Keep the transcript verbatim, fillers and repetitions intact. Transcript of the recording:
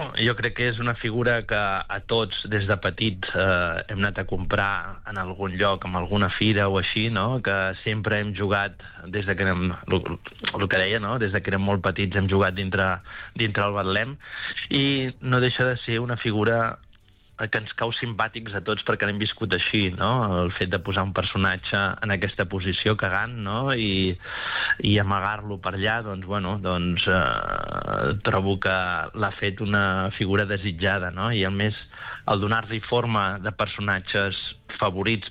Bueno, jo crec que és una figura que a tots, des de petits, eh, hem anat a comprar en algun lloc, en alguna fira o així, no? Que sempre hem jugat, des de que érem, el que deia, no? Des de que érem molt petits hem jugat dintre, dintre el Betlem, i no deixa de ser una figura que ens cau simpàtics a tots perquè l'hem viscut així, no? El fet de posar un personatge en aquesta posició cagant, no? I, i amagar-lo per allà, doncs, bueno, doncs eh, trobo que l'ha fet una figura desitjada, no? I a més, el donar-li forma de personatges favorits